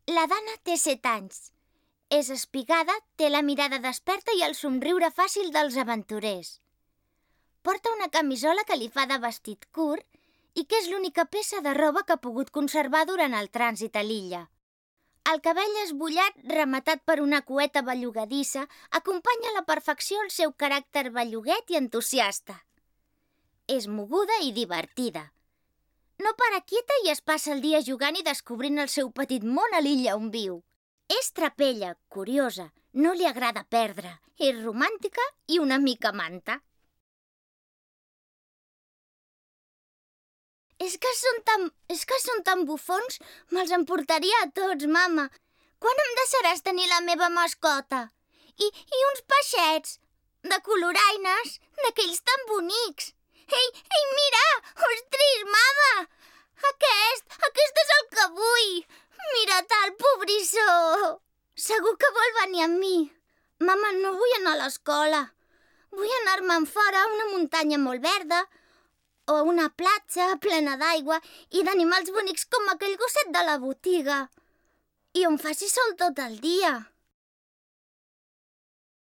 La Dana té 7 anys. És espigada, té la mirada desperta i el somriure fàcil dels aventurers. Porta una camisola que li fa de vestit curt i que és l'única peça de roba que ha pogut conservar durant el trànsit a l'illa. El cabell esbullat, rematat per una cueta bellugadissa, acompanya a la perfecció el seu caràcter belluguet i entusiasta. És moguda i divertida. No para quieta i es passa el dia jugant i descobrint el seu petit món a l'illa on viu. És trapella, curiosa, no li agrada perdre, és romàntica i una mica manta. És que són tan bufons, me'ls emportaria a tots, mama. Quan em deixaràs tenir la meva mascota? I uns peixets, de coloraines, d'aquells tan bonics. Ei, mira! Ostres, mama! Aquest és el que vull! Mira-te, el pobrissó! Segur que vol venir amb mi. Mama, no vull anar a l'escola. Vull anar-me'n fora a una muntanya molt verda o a una platja plena d'aigua i d'animals bonics com aquell gosset de la botiga. I on faci sol tot el dia.